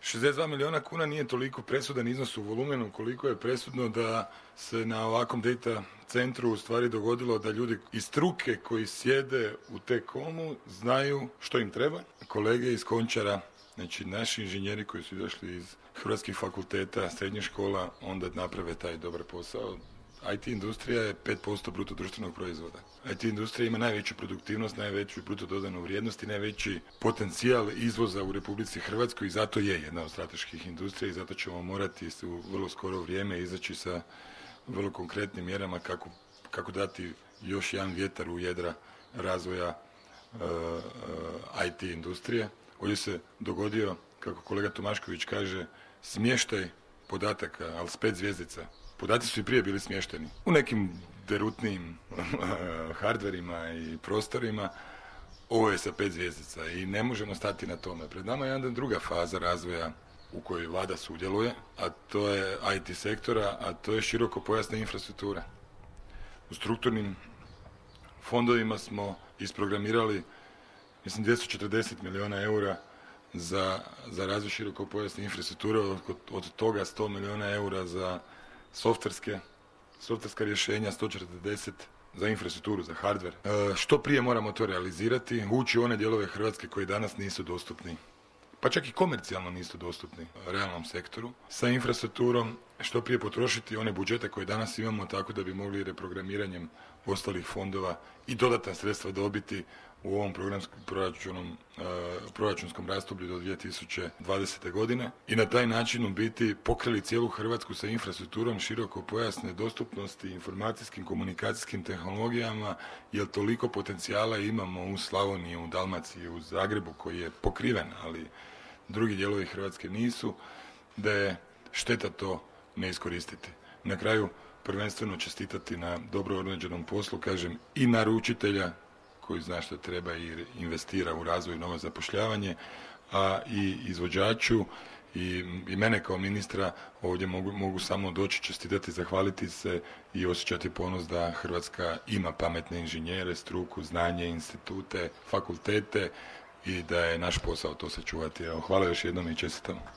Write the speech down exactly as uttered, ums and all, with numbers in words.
šezdeset dva milijuna kuna nije toliko presudan iznos u volumenu koliko je presudno da se na ovakvom data centru u stvari dogodilo da ljudi iz struke koji sjede u T-Comu znaju što im treba. Kolege iz Končara, znači naši inženjeri koji su izašli iz hrvatskih fakulteta, srednjih škola, onda naprave taj dobar posao. I T industrija je pet posto bruto društvenog proizvoda. I T industrija ima najveću produktivnost, najveću bruto dodanu vrijednost i najveći potencijal izvoza u Republici Hrvatskoj i zato je jedna od strateških industrija i zato ćemo morati u vrlo skoro vrijeme izaći sa vrlo konkretnim mjerama kako, kako dati još jedan vjetar u jedra razvoja uh, uh, I T industrije. Ovdje se dogodio, kako kolega Tomašković kaže, smještaj podataka, ali s pet zvjezdica. Podaci su i prije bili smješteni u nekim derutnim hardverima i prostorima. Ovo je sa pet zvjezdica i ne možemo stati na tome. Pred nama je jedna druga faza razvoja u kojoj vlada sudjeluje, a to je I T sektora, a to je širokopojasna infrastruktura. U strukturnim fondovima smo isprogramirali, mislim, dvjesto četrdeset milijuna eura za, za razvoj širokopojasne infrastrukture, od, od toga sto milijuna eura za softverske, softverska rješenja, sto četrdeset za infrastrukturu, za hardware. E, što prije moramo to realizirati, ući u one dijelove Hrvatske koji danas nisu dostupni, pa čak i komercijalno nisu dostupni realnom sektoru, sa infrastrukturom, što prije potrošiti one budžete koje danas imamo tako da bi mogli reprogramiranjem ostalih fondova i dodatna sredstva dobiti u ovom programskom proračunom, uh, proračunskom razdoblju do dvije tisuće dvadesete. godine i na taj način u biti pokrili cijelu Hrvatsku sa infrastrukturom širokopojasne dostupnosti, informacijskim, komunikacijskim tehnologijama, jer toliko potencijala imamo u Slavoniji, u Dalmaciji, u Zagrebu koji je pokriven, ali drugi dijelovi Hrvatske nisu, da je šteta to ne iskoristiti. Na kraju prvenstveno čestitati na dobro određenom poslu, kažem, i naručitelja koji zna što treba i investira u razvoj i novo zapošljavanje, a i izvođaču i, i mene kao ministra ovdje mogu, mogu samo doći čestitati, zahvaliti se i osjećati ponos da Hrvatska ima pametne inženjere, struku, znanje, institute, fakultete i da je naš posao to sačuvati. Evo, hvala još jednom i čestitam.